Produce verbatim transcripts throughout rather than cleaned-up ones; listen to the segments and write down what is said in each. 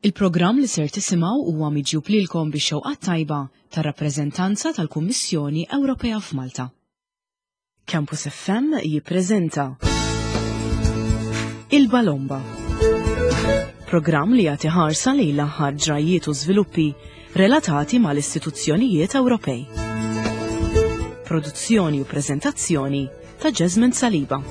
Il-programm li ser tisimgħu huwa miġjub lilkom bix-xewqa tajba tar-rappreżentanza tal-Kummissjoni Ewropea f'Malta. Campus F M jippreżenta Il-Balomba. Programm li jagħti ħarsa lejn l-aħħar ġrajiet u żviluppi relatati mal-istituzzjonijiet Ewropej. Produzzjoni u preżentazzjoni ta' Jasmine Saliba.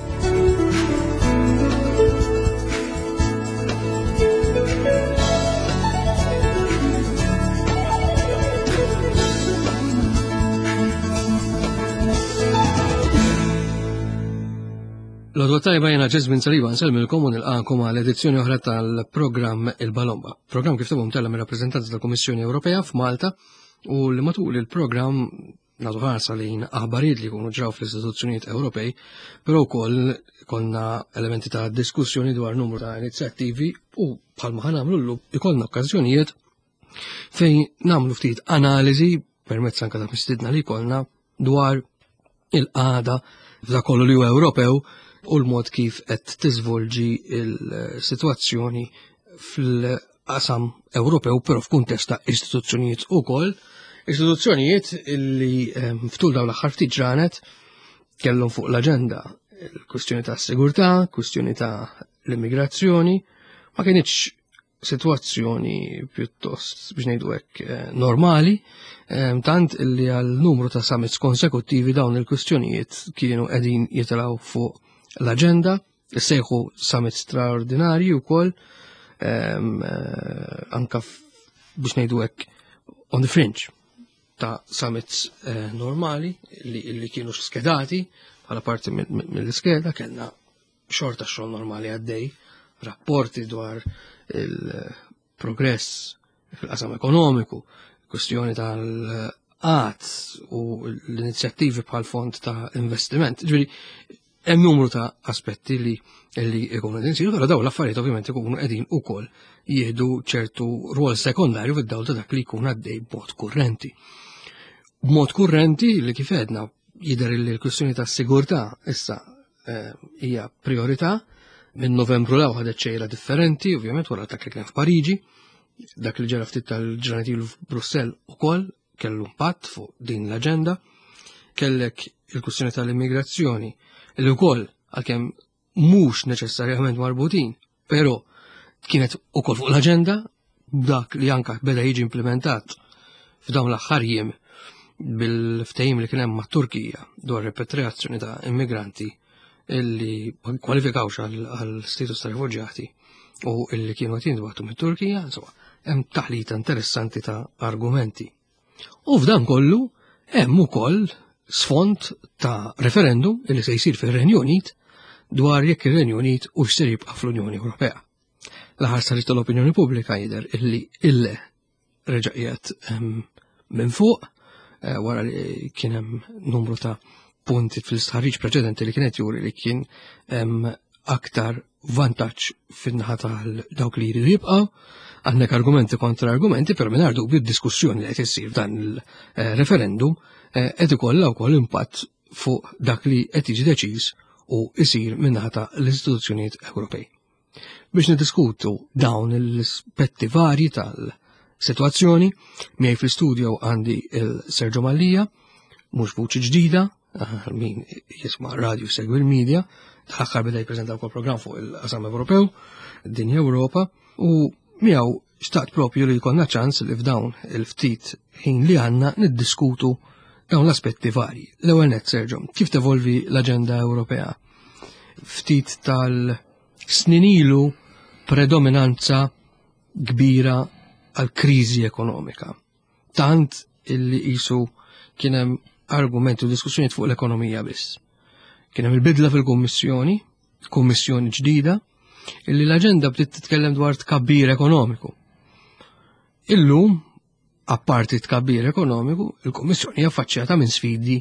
L-għodwa tajba, jiena Jesmond Saliba, nsellmilkom u nilqagħkom għal edizzjoni oħra tal-programm Il-Balomba. Programm kif tafu mtella' mir-rappreżentanza tal-Kummissjoni Ewropea f'Malta u li matul il-programm nagħtu ħarsa lejn aħbarijiet li jkunu ġraw fl-istituzzjonijiet Ewropej, però wkoll konna elementi ta' diskussjoni dwar numru ta' inizjattivi u bħalma ħa nagħmlu llum ikollna okkażjonijiet fejn nagħmlu ftit analiżi permezz anke ta' mistidna li jkollna dwar il-qagħda f'dak kollu li huwa Ewropew u l-mod kif qed tiżvolġi il-sitwazzjoni fil-qasam Ewropew, però f'kuntest ta' istituzzjonijiet ukoll. Istituzzjonijiet illi ehm, ftul dawn l-aħħar ftit ġranet kellhom fuq l-aġenda il-kwistjoni ta' sigurtà, kwistjoni ta' l-immigrazzjoni, ma kienx situazzjoni pjuttost, biex ngħidu hekk, eh, normali, ehm, tant illi għal numru ta' summits konsekuttivi dawn il-kwistjonijiet kienu qegħdin jitilgħu fuq l-aġenda, sejħu summits straordinarji wkoll, ehm, eh, anka biex ngħidu hekk on the fringe ta' summits eh, normali li, li kienu skedati bħala parti mill-iskeda. Kellna xorta xogħol normali għaddej, rapporti dwar il-progress fil-qasam ekonomiku, kwestjoni tal-qgħad u l-inizjattivi bħal fond ta' investiment. Ġifieri, hemm numru ta' aspetti li li ikunu qegħdin isiru, però dawn l-affarijiet ovvjament ikunu qegħdin ukoll jieħdu ċertu rwol sekondarju fid-dawl ta' dak li jkun għaddej b'mod kurrenti. B'mod kurrenti li kif għedna jidher li l-kwistjoni ta' sigurtà issa eh, hija priorità. Minn Novembru 'l hawn ħadet xejra differenti, ovvjament wara dak li kien f'Pariġi, dak li ġara ftit tal-ġranet ilu f'Brussell ukoll kellu impatt fuq din l-aġenda. Kellek il-kwistjoni tal-immigrazzjoni li wkoll, għalkemm mhux neċessarjament marbutin, però kienet ukoll fuq l-aġenda, dak li anka beda jiġi implementat f'dawn l-aħħar jiem bil-ftehim li kien hemm mat-Turkija dwar repatriazzjoni ta' immigranti illi ma kwalifikawx għal status ta' rifuġjati u illi kienu qed jintbagħtu mit-Turkija, insomma, hemm taħlita interessanti ta' argumenti. U f'dan kollu hemm ukoll sfond ta' referendum illi se jsir fir-Renju Unit dwar jekk ir-Renju Unit hux ser jibqa' fl-Unjoni Ewropea. L-aħħar stħarriġ tal-opinjoni pubblika jidher illi ille reġa' qiegħed minn fuq eh, wara li kien hemm numru ta' punti fil-stħarriġ preċedenti li kienet juri li kien hemm aktar vantaġġ fin-naħa tal dawk li jridu jibqgħu. Għandek argumenti kontra argumenti, però mingħajr dubju d-diskussjoni li qed issir f'dan il-referendum eh, qed ikollha wkoll impatt fuq dak li qed jiġi deċiż u jsir min-naħa ta' l-istituzzjonijiet Ewropej. Biex niddiskutu dawn l-aspetti varji tal-sitwazzjoni, miegħi fl-istudio għandi il-Sergio Mallia, mhux vuċi ġdida, min jisma' radio, segwi l-media, tal-aħħar beda jippreżenta wkoll programm fuq il-qasam Ewropew, Dinja Ewropa, u miegħu xtaqt propju li jkollna ċans li f'dawn il-ftit ħin li għandna niddiskutu dawn l-aspetti varji. L-ewwel net, Sergio, kif tevolvi l-aġenda Ewropea? Ftit tal-snin ilu predominanza kbira għal kriżi ekonomika. Tant illi qisu kien hemm argumenti u diskussjonijiet fuq l-ekonomija biss. Kien hemm il-bidla fil-Kummissjoni, kummissjoni ġdida, illi l-aġenda bdiet titkellem dwar tkabbir ekonomiku. Illum, apparti tkabbir ekonomiku, il-Kummissjoni hija affaċċjata minn sfidi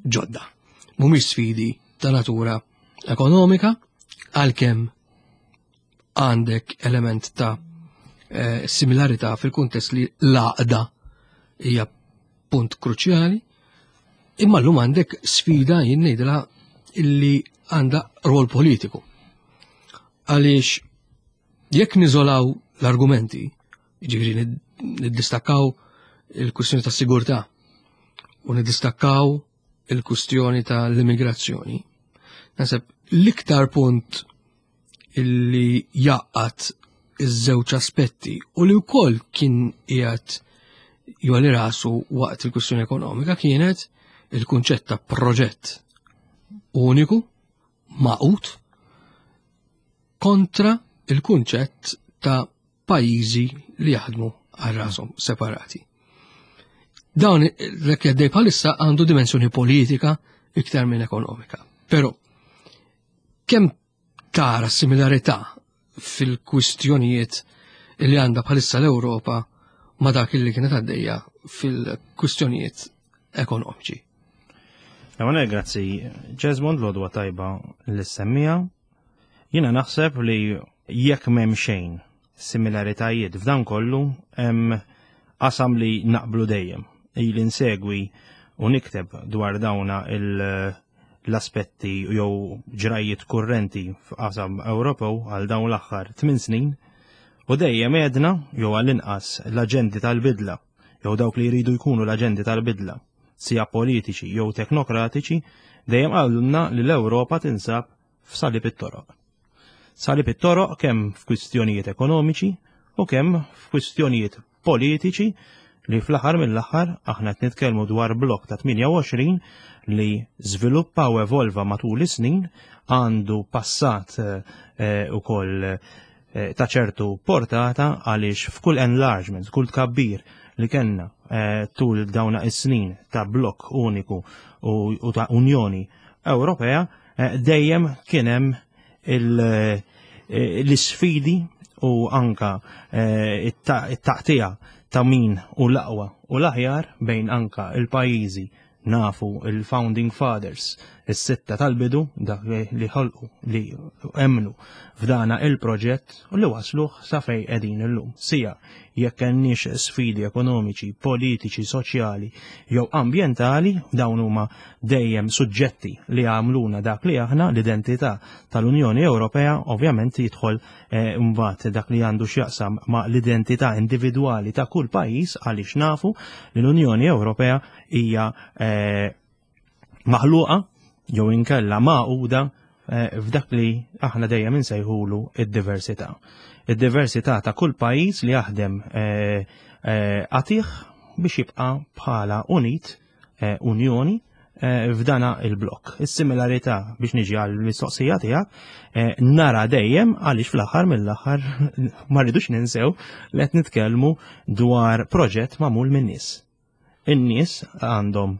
ġodda. Mhumiex sfidi ta' natura ekonomika, għalkemm għandek element ta' eh, similarità fil-kuntest li l-għaqda hija punt kruċjali, imma llum għandek sfida, jien ngħidilha, illi għandha rol politiku. Għaliex jekk niżolaw l-argumenti, jiġifieri niddistakkaw il-kwistjoni ta' sigurtà u niddistakkaw il-kwistjoni tal-immigrazzjoni. Naħseb l-iktar punt illi jgħaqqad iż-żewġ aspetti u li wkoll kien qiegħed jgħolli rasu waqt il-kwistjoni ekonomika kienet il-kunċett ta' proġett uniku, magħqud, kontra il-kunċett ta' pajjiżi li jaħdmu għal rashom separati. Dawn l għaddej bħalissa għandu dimensjoni politika iktar minn ekonomika. Però kemm tara similarità fil-kwistjonijiet li għandha bħalissa l-Ewropa ma dak li kienet għaddejja fil-kwistjonijiet ekonomiċi? Għamane, grazzi. Jesmond, l-għodwa tajba lis-semmiegħa. Jiena naħseb li jekk m'hemm xejn similaritajiet f'dan kollu hemm qasam li naqblu dejjem. Ili nsegwi u nikteb dwar dawna l-aspetti jew ġrajiet kurrenti f'qasam Ewropew għal dawn l-aħħar tmien snin u dejjem għedna jew għall-inqas l-aġenti tal-bidla jew dawk li jridu jkunu l-aġenti tal-bidla, sija politiċi jew teknokratiċi, dejjem qalulna li l-Ewropa tinsab f'salib it-toroq. Salib it-toroq kemm f'kwistjonijiet ekonomiċi u kemm f'kwistjonijiet politiċi li fl-aħħar mill-aħħar aħna qed nitkellmu dwar blokk ta' tmienja u għoxrin li żviluppa u evolva matul is-snin, għandu passat eh, ukoll eh, ta' ċertu portata għaliex f'kull enlargement, kull tkabbir li kellna eh, tul dawna is-snin ta' blokk uniku u, u ta' Unjoni Ewropea, dejjem kien hemm l-isfidi u anka it-taqtija ta' min hu l-aqwa u l-aħjar bejn anka il-pajjiżi, nafu il-Founding Fathers, is-sitta tal-bidu, dak li ħolqu, li emnu f'dana il-proġett u li wasluh sa fejn qegħdin illum. Sija jekk kenniex sfidi ekonomiċi, politiċi, soċjali jew ambjentali, dawn huma dejjem suġġetti li għamluna dak li aħna. L-identità tal-Unjoni Ewropea ovvjament jidħol eh, mbagħad dak li għandu x'jaqsam ma' l-identità individwali ta' kull pajjiż, għaliex nafu li l-Unjoni Ewropea hija eh, maħluqa jew inkella magħquda eh, f'dak li aħna dejjem insejħulu id-diversità. Id-diversità ta' kull pajjiż li jaħdem qatigħ biex jibqa' bħala unit, unjoni f'dana il-blok. Is-similarità, biex niġi għal mistoqsija tiegħek, nara dejjem għaliex fl-aħħar mill-aħħar ma rridux ninsew li qed nitkellmu dwar proġett magħmul min-nies. In-nies għandhom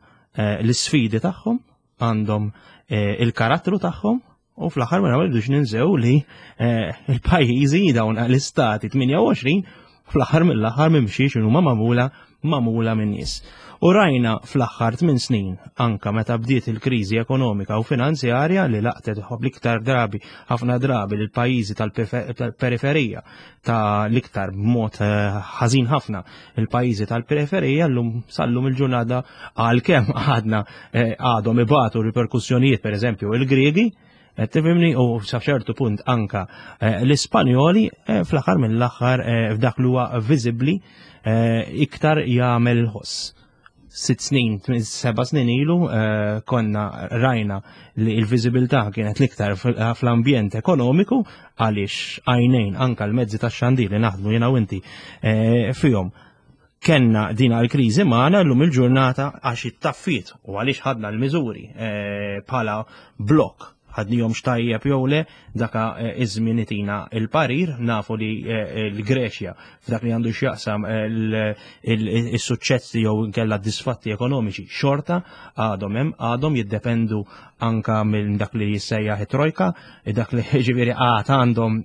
l-isfidi tagħhom, għandhom il-karattru tagħhom u fl-aħħar ma rridux ninsew li il-pajjiżi, dawn l-istati tmienja u għoxrin, fl-aħħar mill-aħħar mimxiex huma magħmula magħmula minn nies. U rajna fl-aħħar tmien snin, anka meta bdiet il-kriżi ekonomika u finanzjarja li laqtet l-iktar drabi, ħafna drabi, lil pajjiżi tal-periferija, ta' l-iktar b'mod ħażin ħafna il-pajjiżi tal-periferija llum sallum il-ġurnata, għalkemm għadna għadhom ibatu riperkussjonijiet, pereżempju il-Griegi, tifhimni, u sa ċertu punt anka l-Ispanjoli, fl-aħħar mill-aħħar f'dak li huwa viżibbli iktar jagħmel ħoss. Sitt snin, seba' snin ilu konna rajna li l-viżibilità kienet l-iktar fl-ambjent ekonomiku għaliex għajnejn anka l-mezzi ta' xandir li naħdmu jiena u inti fihom kellna dina l-kriżi magħna. Llum il-ġurnata, għax it-taffiet u għaliex ħadna l-miżuri bħala blok, ħadnihom x'tajjeb jew le, daka iż-żmien itina il-parir. Nafu li l-Greċja f'dak li għandu x'jaqsam is-suċċessi jew inkella disfatti ekonomiċi xorta għadhom hemm, għadhom jiddependu anka minn dak li jissejjaħ it-trojka, dak li ġifieri għad għandhom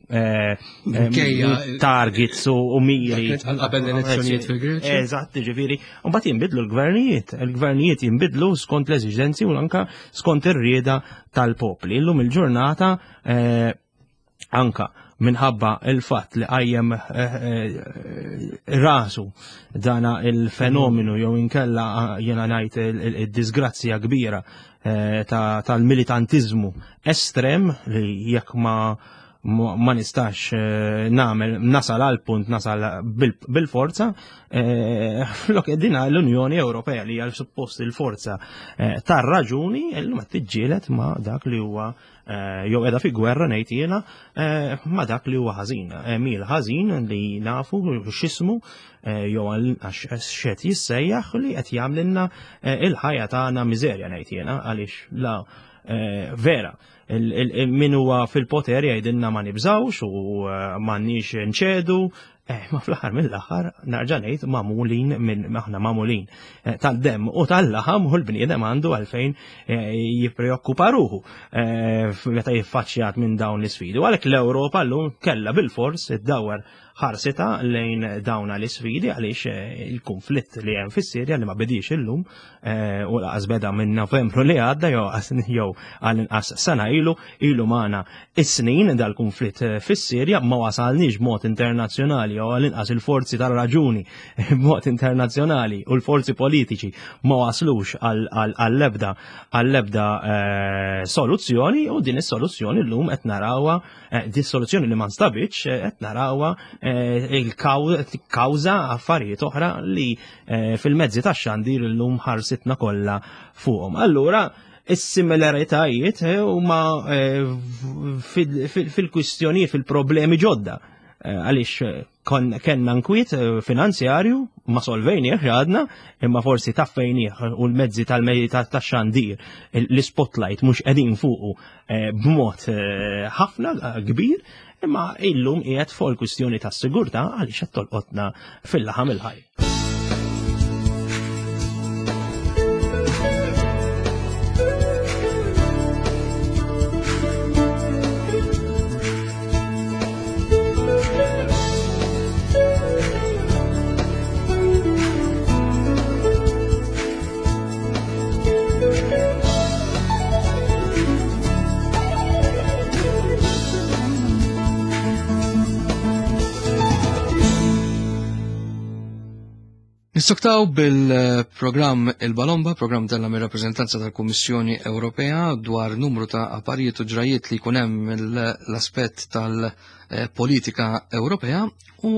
targets u miri. Qabel l-elezzjonijiet fil-Greċja. Eżatt, ġifieri, u mbagħad jinbidlu l-gvernijiet, il-gvernijiet jinbidlu skont l-eżiġenzi u anka skont ir-rieda tal-popli. Illum il-ġurnata, anka minħabba il-fatt li qajjem rasu dana il-fenomenu jew inkella jena ngħid il-disgrazzja kbira tal-militantizmu estrem li jekk ma ma nistax nagħmel nasal għal punt nasal bil-forza, flok dina l-Unjoni Ewropea li hija suppost il-forza tar-raġuni illum qed tiġġieled ma' dak li huwa jew qiegħda fi gwerra ngħid jiena ma' dak li huwa ħażin. Mil ħażin li nafu x'ismu jew għax x'qed jissejjaħ li qed jagħmlilna il-ħajja tagħna miżerja ngħid jiena għaliex la vera min huwa fil-poter jgħidilna ma nibżawx u m'għandniex nċedu, ma fl-aħħar mill-aħħar narġa' ngħid magħmulin minn aħna magħmulin tad-demm u tal-laħam u l-bniedem għandu għalfejn jippreokkupa ruħu meta jiffaċċjat minn dawn l-isfidi. U għalhekk l-Ewropa llum kellha bilfors iddawwar ħarsita lejn dawn l-isfidi għaliex il-konflitt li hemm fis-Sirja li ma bediex illum u laqas beda minn Novembru li għadda jew jew għall-inqas sena ilu ilu magħna is-snin dal-konflitt fis-Sirja ma wasalniex b'mod internazzjonali jew għall-inqas il-forzi tar-raġuni b'mod internazzjonali u l-forzi politiċi ma waslux għall-ebda għall-ebda soluzzjoni u din is-soluzzjoni llum qed narawha din soluzzjoni li ma nstabitx qed narawha il-kawża affarijiet oħra li fil-mezzi tax-xandir illum ħarsitna kollha fuqhom. Allura is-similaritajiet huma fil-kwistjonijiet fil-problemi ġodda għaliex kellna nkwiet finanzjarju ma solvejnieh għadna imma forsi taffejnieh u l-mezzi tal-mezzi tax-xandir l-spotlight mhux qegħdin fuqu b'mod ħafna kbir imma illum qiegħed fuq il-kwistjoni tas-sigurtà għaliex qed tolqotna fil-laħam il-ħaj. Nissoktaw bil-programm Il-Balomba, programm tella mir-rappreżentanza tal-Kummissjoni Ewropea dwar numru ta' apparijiet u ġrajiet li jkun hemm l-aspett tal-politika Ewropea u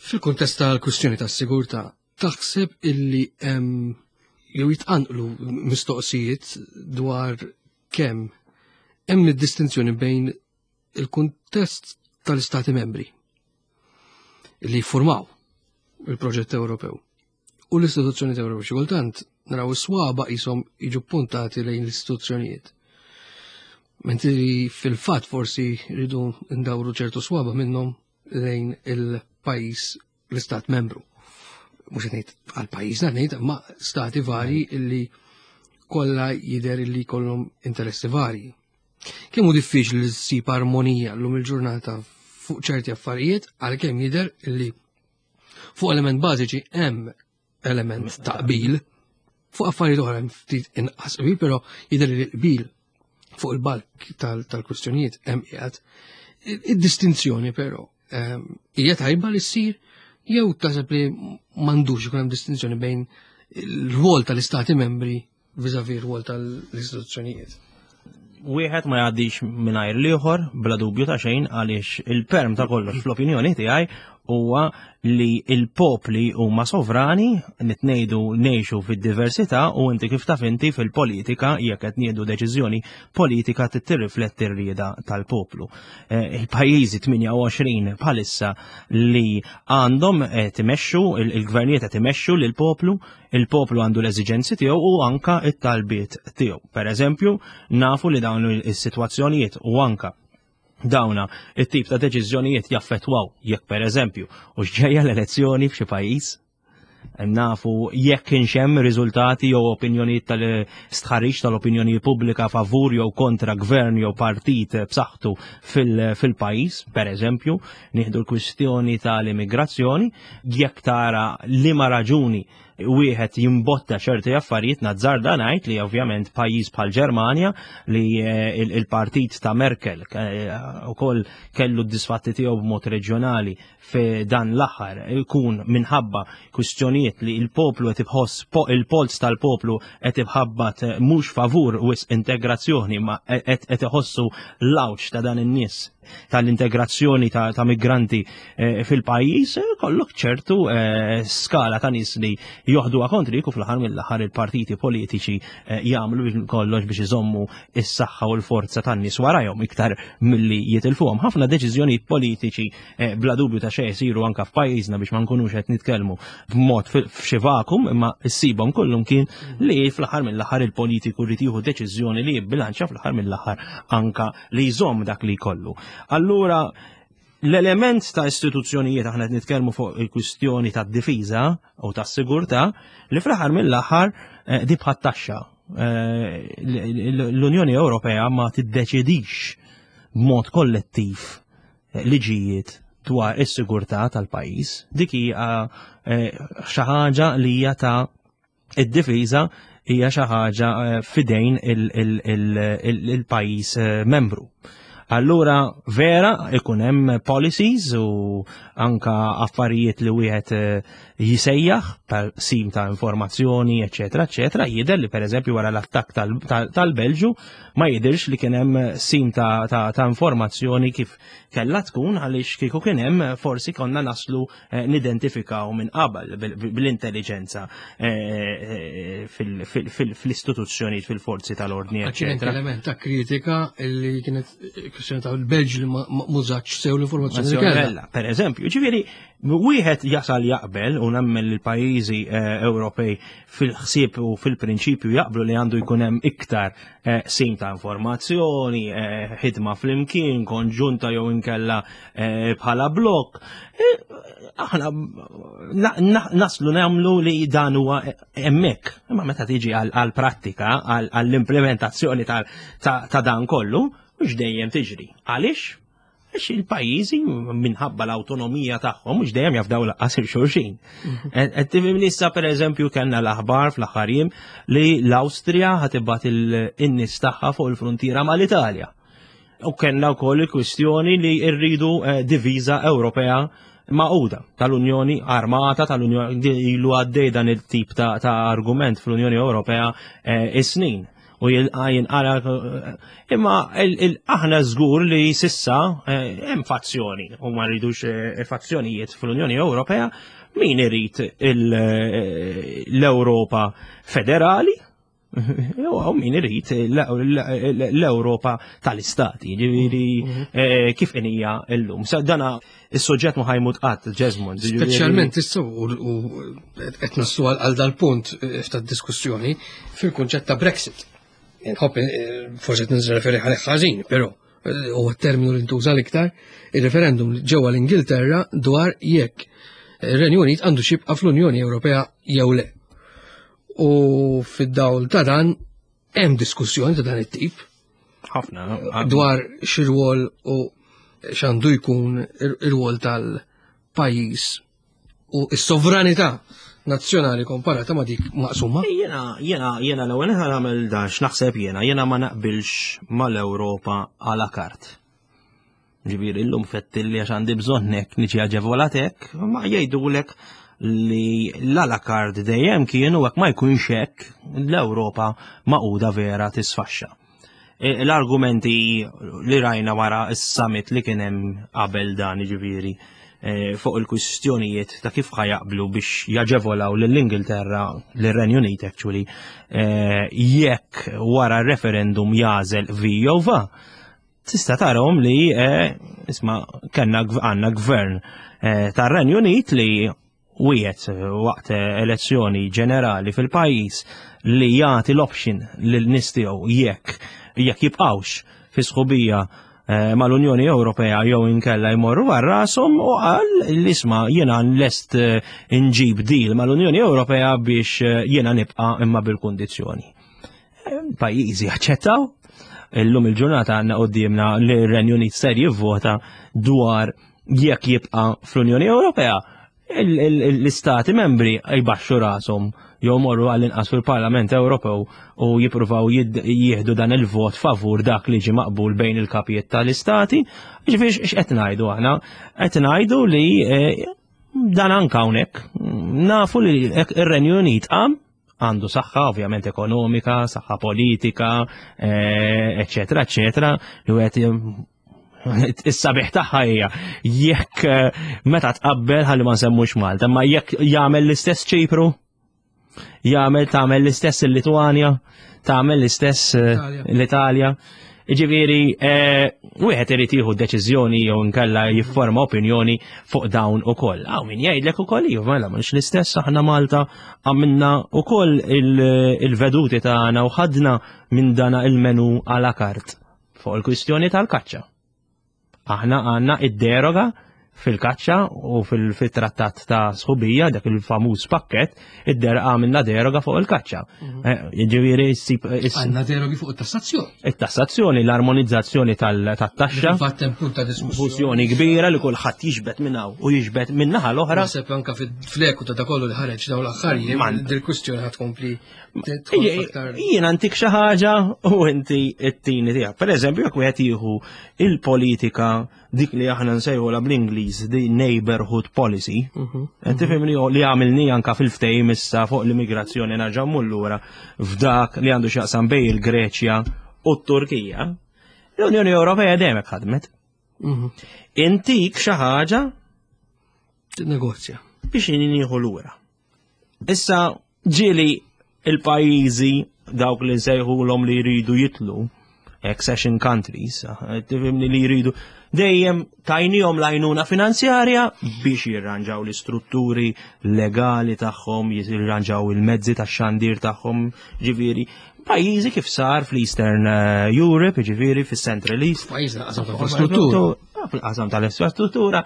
fil-kuntest tal-kwistjoni tas-sigurtà taħseb illi hemm jew jitqanqlu mistoqsijiet dwar kemm hemm id-distinzjoni bejn il-kuntest tal-Istati membri li jiffurmaw il-proġett Ewropew u l-istituzzjonijiet Ewropew. Xi kultant naraw is-swaba qishom jiġu puntati lejn l-istituzzjonijiet. Mentri fil-fatt forsi rridu ndawru ċertu swaba minnhom lejn il-pajjiż l-istat membru. Mhux qed ngħid għal pajjiżna ngħid ma stati varji illi kollha jidher illi jkollhom interessi varji. Kemm hu diffiċli li ssib armonija llum il-ġurnata fuq ċerti affarijiet għalkemm jidher illi fuq element bażiċi hemm element ta' qbil, fuq affarijiet oħra hemm ftit inqas qbil, però jidher li l-qbil fuq il-balk tal-kwistjonijiet hemm qiegħed. Id-distinzjoni però hija tajba li ssir jew taħseb li m'għandux ikun hemm distinzjoni bejn il-rwol tal-istati membri vis-à-vis r-rwol tal-istituzzjonijiet. Wieħed ma jgħaddix mingħajr l-ieħor bla dubju ta' xejn għaliex il-perm ta' kollox fl-opinjoni tiegħi huwa li l-popli huma sovrani, nitnejdu ngħixu fid-diversità u inti kif taf inti fil-politika jekk qed nieħdu deċiżjoni politika tirrifletti r-rieda tal-poplu. Il-pajjiżi tmienja u għoxrin bħalissa li għandhom qed imexxu, il-gvernijiet qed imexxu lill-poplu, il-poplu għandu l-eżiġenzi tiegħu u anka t-talbiet tiegħu. Per eżempju, nafu li dawn is-sitwazzjonijiet u anka dawna it-tip ta' deċiżjonijiet jaffettwaw jekk per eżempju u x'ġejja l-elezzjoni f'xi pajjiż, nafu jekk kienx hemm riżultati jew opinjonijiet tal-istħarriġ tal-opinjoni pubblika favur jew kontra gvern jew partit b'saħħtu fil-pajjiż, per eżempju, nieħdu l-kwistjoni tal-immigrazzjoni, jekk tara liema raġuni Wieħed jimbotta ċerti affarijiet. Nazzarda ngħid li ovvjament pajjiż bħal Ġermanja, li eh, il-partit ta' Merkel eh, ukoll kellu d-disfatti tiegħu b'mod reġjonali fi dan l-aħħar, ikun minħabba kwistjonijiet li il-poplu qed iħoss, il-polz tal-poplu qed iħabbat mhux favur wisq integrazzjoni, ma qed iħossu l-għawġ ta' dan in-nies tal-integrazzjoni ta', ta migranti eh, fil-pajjiż, kollok ċertu eh, skala ta' nies li joħdu kontri u fl-aħħar mill-aħħar il-partiti politiċi eh, jagħmlu kollox biex iżommu is-saħħa u l-forza tan-nies warajhom iktar milli jitilfuhom. Ħafna deċiżjonijiet politiċi bla dubju ta' xejn isiru anka f'pajjiżna, biex ma nkunux qed nitkellmu b'mod f'xi vakum, imma issibhom kollhom kien li fl-aħħar mill-aħħar il-politiku jrid jieħu deċiżjoni li jibbilanċja fl-aħħar mill-aħħar anka li jżomm dak li jkollu. Allura, l-element ta' istituzzjonijiet, aħna qed nitkellmu fuq il-kwistjoni ta' difiża u ta' sigurtà, li fl-aħħar mill-aħħar eh, di bħat taxxa. Eh, l-Unjoni Ewropea ma tiddeċidix b'mod kollettiv eh, liġijiet dwar is-sigurtà tal-pajjiż. Dik hija xi ħaġa li hija ta' id-difiża, hija xi ħaġa fidejn il-pajjiż membru. Allura vera ikun hemm policies u anka affarijiet li wieħed eh, jisejjaħ per sim ta' informazzjoni, eċetera, eċetera. Jidher li, pereżempju, wara l-attakk tal-Belġu ma jidirx li kien hemm sim ta', ta, ta informazzjoni kif kellha tkun, għaliex kieku kien hemm forsi konna naslu eh, nidentifikaw minn qabel bil-intelligenza eh, fil-istituzzjoni, fil-forzi tal-ordni. Kien element ta' kritika li kienet kwestjoni ta' l-Belġ li m'użatx sew l-informazzjoni li kellha. Per eżempju, ġifieri, wieħed jasal jaqbel, u nemmen l-pajjiżi eh, Ewropej fil-ħsieb u fil-prinċipju jaqblu li għandu jkun hemm iktar eh, sim ta' informazzjoni, eh, ħidma flimkien, konġunta jew inkella bħala blok. Aħna naslu nagħmlu li dan huwa hemmhekk. Imma meta tiġi għal-prattika, għall-implementazzjoni ta' dan kollu, mhux dejjem tiġri. Għaliex? Għax il-pajjiżi, minħabba l-autonomija tagħhom, mhux dejjem jafdaw lanqas lil xulxin. Qed tifhem, issa per eżempju kellna l-aħbar fl-aħħar jiem li l-Awstrija ħa tibgħat in-nies tagħha fuq il-frontiera mal-Italja. U kellna wkoll il-kwistjoni li rridu eh, diviża Ewropea magħquda tal-Unjoni, armata tal-Unjoni. Ilu għaddej dan il-tip ta', ta argument fl-Unjoni Ewropea eh, is-snin u jinqara, imma aħna żgur li s'issa eh, hemm fazzjoni u ma rridux eh, fazzjonijiet fl-Unjoni Ewropea, min irid l-Ewropa federali u min irid l-Ewropa tal-istati, ġifieri mhm. eh, kif inhija llum. Sa dana is-soġġett ma ħa jmut qatt, Jesmond. Speċjalment issa u qed naslu għal dal-punt tad-diskussjoni fil-kunċett ta' Brexit. Nħobb eh, forsi nirreferi għalih ħażin, però eh, huwa terminu li ntuża l-iktar, il-referendum ġewwa l-Ingilterra dwar jekk ir-Renju Unit għandu jibqa' fl-Unjoni Ewropea jew le. U fid-dawl ta' dan hemm diskussjoni ta' dan it-tip Ħafna. dwar x'irwol u x'għandu jkun ir-rwol tal-pajjiż u s-sovranità nazzjonali komparata ma' dik maqsuma. Jena, jena, jena l-ewwel ħa nagħmel dan x'naħseb jiena, jena ma naqbilx mal-Ewropa à la carte. Ġifieri illum fettilli għax għandi bżonnek niġi aġevolatek, ma jgħidulek li l-à la carte dejjem kienu, hekk ma jkunx hekk l-Ewropa magħquda vera tisfaxxa. E, L-argumenti li rajna wara is-summit li kien hemm qabel dan, ġifieri e, fuq il-kwistjonijiet ta' kif ħa jaqblu biex jaġevolaw lill-Ingilterra, lir-Renju Unit actually, e, jekk wara referendum jagħżel vi jew va. Tista' tarahom li isma' kellna għandna gvern tar-Renju Unit li wiegħed waqt elezzjoni ġenerali fil-pajjiż li jagħti l-option lil nies tiegħu jekk jekk jibqgħux fi sħubija eh, mal-Unjoni Ewropea jew inkella jmorru għal rashom, u qal li isma' jiena lest eh, inġib deal mal-Unjoni Ewropea biex eh, jiena nibqa' imma bil-kundizzjoni. Pajjiżi aċċettaw. Illum il-ġurnata għandna qudiemna li r-Renju Unit ser jivvota dwar jekk jibqa' fl-Unjoni Ewropea. L-istati membri jbaxxu rashom jew morru għall-inqas fil-Parlament Ewropew u jippruvaw jieħdu dan il-vot favur dak li ġi maqbul bejn il-kapijiet tal-istati. Ġifieri x'qed ngħidu aħna? Qed ngħidu li eh, dan anka hawnhekk nafu li ir-Renju Unit qam għandu saħħa ovvjament ekonomika, saħħa politika, eccetera, eccetera, li għet is-sabiħ tagħha hija jekk eh, meta tqabbel ħalli ma nsemmux Malta, ma jekk jagħmel l-istess Ċipru, jagħmel tagħmel l-istess il-Litwanja, tagħmel l-istess eh, l-Italja. Ġifieri, eh, wieħed irid jieħu deċiżjoni jew inkella jifforma opinjoni fuq dawn ukoll. Hawn min jgħidlek ukoll iva mela mhux l-istess aħna Malta għamilna ukoll il-veduti tagħna u ħadna minn dana il-menu à la carte fuq il-kwistjoni tal-kaċċa. Aħna għandna id-deroga fil-kaċċa u fil-trattat ta' sħubija, dak il-famuż pakket, id-der għamilna deroga fuq il-kaċċa. Mhm. Eh, ġifieri ssib. Għandna derogi fuq it-tassazzjoni. It-tassazzjoni, l-armonizzazzjoni tal-taxxa. Fatt hemm punt ta' diskussjoni kbira li kulħadd jiġbed minn hawn u jiġbed minn naħa l-oħra. Naħseb anke fil-fleku ta' kollu li ħareġ dawn l-aħħar dil-kwistjoni ħad tkompli. Jiena antik xi ħaġa u inti t-tini tiegħek. Per eżempju, jekk wieħed jieħu il-politika dik li aħna nsejħu bl-Ingliż the neighborhood policy, mhm, mhm. tifhimni li għamilni anka fil-ftehim issa fuq l-immigrazzjoni nerġa' lura f'dak li għandu x'jaqsam bejn il-Greċja u t-Turkija. L-Unjoni Ewropea dejjem ħadmet. Mhm. Intik xi ħaġa Negozja. Biex nieħu lura. Issa ġieli il-pajjiżi dawk li nsejħulhom li jridu jitlu accession countries, tifhimni li jridu dejjem tajnihom l-għajnuna finanzjarja biex jirranġaw l-istrutturi legali tagħhom, jirranġaw il-mezzi tax-xandir tagħhom, ġifieri pajjiżi kif sar fl-Eastern eh, Europe, ġifieri fis-Central East. Pajjiżi qasam tal-infrastruttura. Fil-qasam tal-infrastruttura,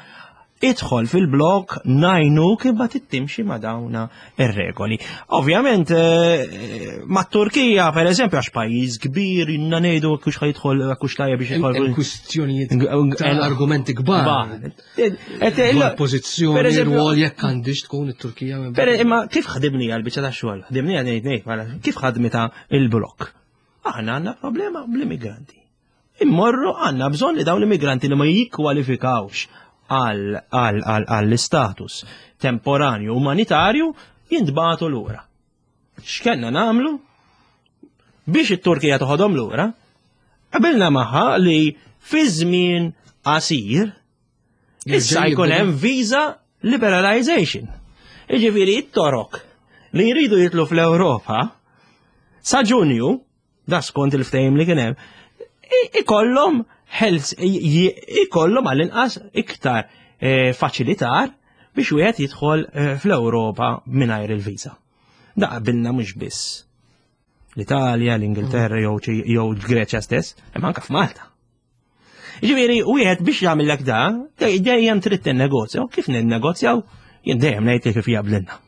idħol fil-blok ngħinu kif ma tittimxi ma dawna ir-regoli. Ovvjament, eh, ma Turkija, per eżempju, għax pajjiż kbir, inna ngħidu kux ħajidħol, kux tajja biex jidħol. Kwistjonijiet ta' argumenti kbar. Pożizzjoni, rwol jekk għandix tkun it-Turkija. Imma kif ħadimni għal-biċċa ta' xogħol? Ħadimni għal ngħid ngħid, kif ħadmita il-blok? Aħna għandna problema bl-immigranti. Immorru għandna bżonn li dawn l-immigranti li ma jikkwalifikawx għall-istatus temporanju umanitarju jintbagħtu lura. X'kellna nagħmlu? Biex it-Turkija toħodhom lura, qabilna magħha li fi żmien qasir issa jkun hemm visa liberalization. Jiġifieri it-Torok li jridu jitlu fl-Ewropa sa Ġunju, da skont il-ftehim li kien hemm, ikollhom ikollhom għall-inqas iktar eh, faċilitar biex wieħed jidħol eh, fl-Ewropa mingħajr il-viża. Da qabilna mhux biss l-Italja, l-Ingilterra jew jew l-Greċja stess, imma anke f'Malta. Ġifieri wieħed biex jagħmellek da, dejjem trid tinnegozja, u kif ninnegozjaw, jien dejjem ngħid kif jaqblilna.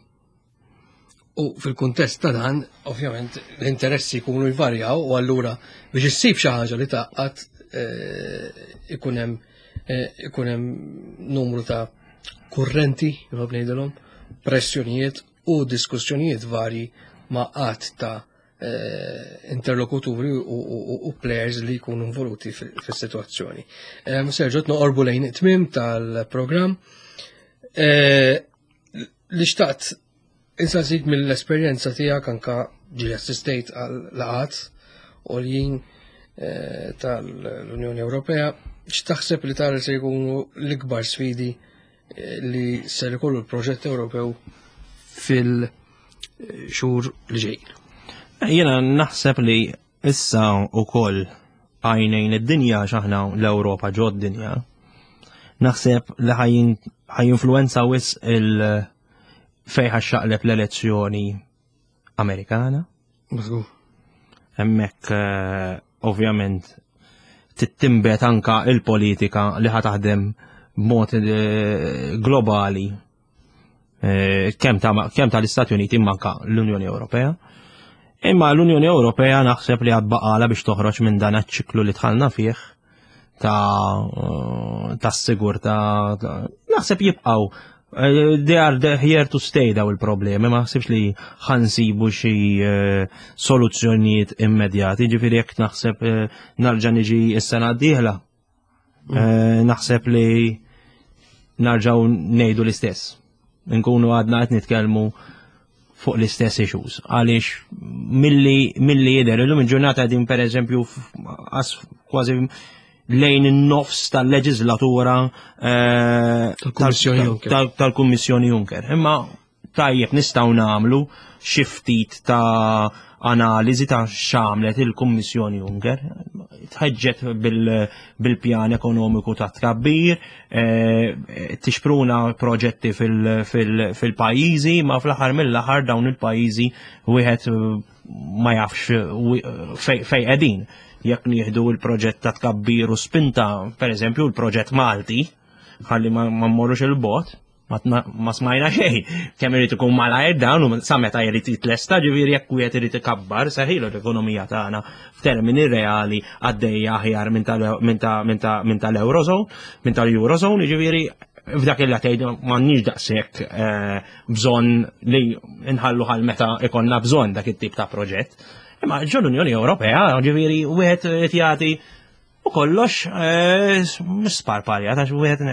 U fil-kuntest ta' dan, ovvjament, l-interessi jkunu jvarjaw u allura biex issib xi ħaġa li taqqat eh, ikun hemm eh, ikun hemm numru ta' kurrenti, nħobb ngħidilhom, pressjonijiet u diskussjonijiet varji ma' qatt ta' eh, interlokuturi u, u, u players li jkunu involuti fis-sitwazzjoni. Sergio, noqorbu lejn it-tmiem tal-programm. Li xtaqt insaqsik mill-esperjenza tiegħek anka ġi assistejt għal laqat u l-jien eh, tal-Unjoni Ewropea, x'taħseb li tara se jkunu l-ikbar sfidi eh, li ser ikollu l-proġett Ewropew fil-xhur li ġejjin? Jiena naħseb li issa ukoll għajnejn id-dinja x'aħna l-Ewropa ġod dinja. Naħseb li ħajinfluenza wisq il- fejn ħaxxaqleb l-elezzjoni Amerikana. Hemmhekk eh, ovvjament tittimbet anka il-politika li ħa taħdem b'mod eh, globali eh, kemm ta' tal-Istati Uniti imma anka l-Unjoni Ewropea. Imma l-Unjoni Ewropea naħseb li għad baqala biex toħroġ minn dan iċ-ċiklu li dħalna fih ta' ta' sigurtà naħseb jibqgħu Eh, they are here to stay daw il-problemi, ma ħsibx li ħa nsibu xi eh, soluzzjonijiet immedjati, ġifieri jekk naħseb eh, narġa' niġi s-sena d-dieħla, mm. naħseb li narġaw ngħidu l-istess. Nkunu għadna qed nitkellmu fuq l-istess issues. Għaliex milli milli jidher illum il-ġurnata din, per eżempju, kważi lejn in-nofs tal-leġislatura eh, tal-Kummissjoni Juncker. Imma tajjeb nistgħu nagħmlu xi ftit ta' analiżi ta' x'għamlet il-Kummissjoni Juncker. Tħeġġet bil-pjan ekonomiku ta' tkabbir, eh, tixpruna proġetti fil-pajjiżi, ma fl-aħħar mill-aħħar dawn il-pajjiżi wieħed ma jafx fejn qegħdin. Jekk nieħdu il-proġett ta' tkabbir u spinta, per eżempju, il-proġett Malti, ħalli ma mmorrux il-bogħod, ma smajna xejn. Kemm irid ikun malajr dawn u sa meta jrid jitlesta, ġifieri jekk wieħed irid ikabbar seħilu l-ekonomija tagħna f'termini reali għaddejja aħjar minn tal-Eurozone, minn tal-Eurozone, ġifieri f'dak il tgħid m'għandniex daqshekk eh, bżonn li nħallu ħal meta ikollna bżonn dak it-tip ta' proġett. Imma ġo l-Unjoni Ewropea, ġifieri wieħed qed jagħti u kollox eh, mhux sparpalja, ta' wieħed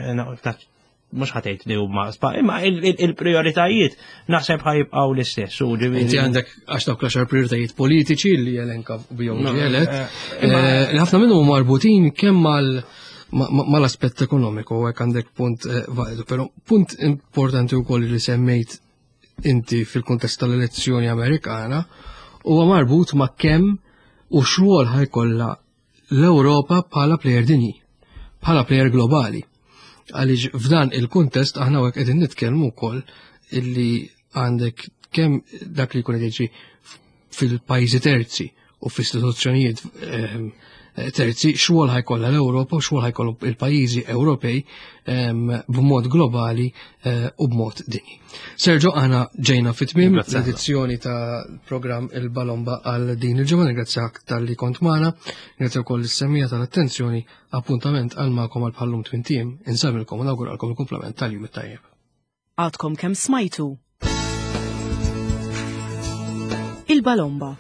mhux ħa tgħid li huma imma il-prioritajiet naħseb ħa jibqgħu l-istess. Inti għandek għax dawk l-għaxar prioritajiet politiċi li jelenka bihom ġielet. Eh, eh, ħafna minnhom marbutin kemm mal mal-aspett ekonomiku, hekk għandek punt eh, validu, però punt importanti wkoll li semmejt inti fil-kuntest tal-elezzjoni Amerikana huwa marbut ma' kemm u x'rwol ħa jkollha l-Ewropa bħala player dinji, bħala player globali. Għaliex f'dan il-kuntest aħna hekk qegħdin nitkellmu wkoll illi għandek kemm dak li jkun qed jiġri fil-pajjiżi terzi u fl-istituzzjonijiet ehm, terzi, x'rwol ħa jkollha l-Ewropa u x'rwol ħa jkollu il-pajjiżi Ewropej ehm, b'mod globali eh, u b'mod dinji. Sergio, aħna ġejna fit-tmiem l-edizzjoni ta' programm Il-Balomba għal din il-ġimgħa. Ningrazzjak talli kont magħna, ringrazzja wkoll is-semmiegħa tal-attenzjoni, appuntament għal magħkom għal bħallum tmint ijiem, insellmilkom u nawguralkom il-kumplament tal-jum it-tajjeb. Għadkom kemm smajtu Il-Balomba.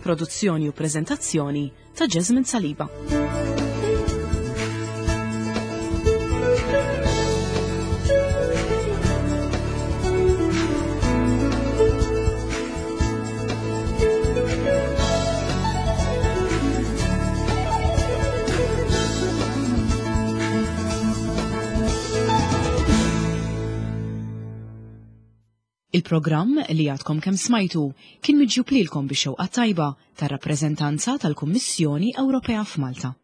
Produzzjoni u prezentazzjoni ta' Jasmine Saliba. Il-programm li għadkom kemm smajtu kien miġjub lilkom bix-xewqa tajba tar-rappreżentanza tal-Kummissjoni Ewropea f'Malta.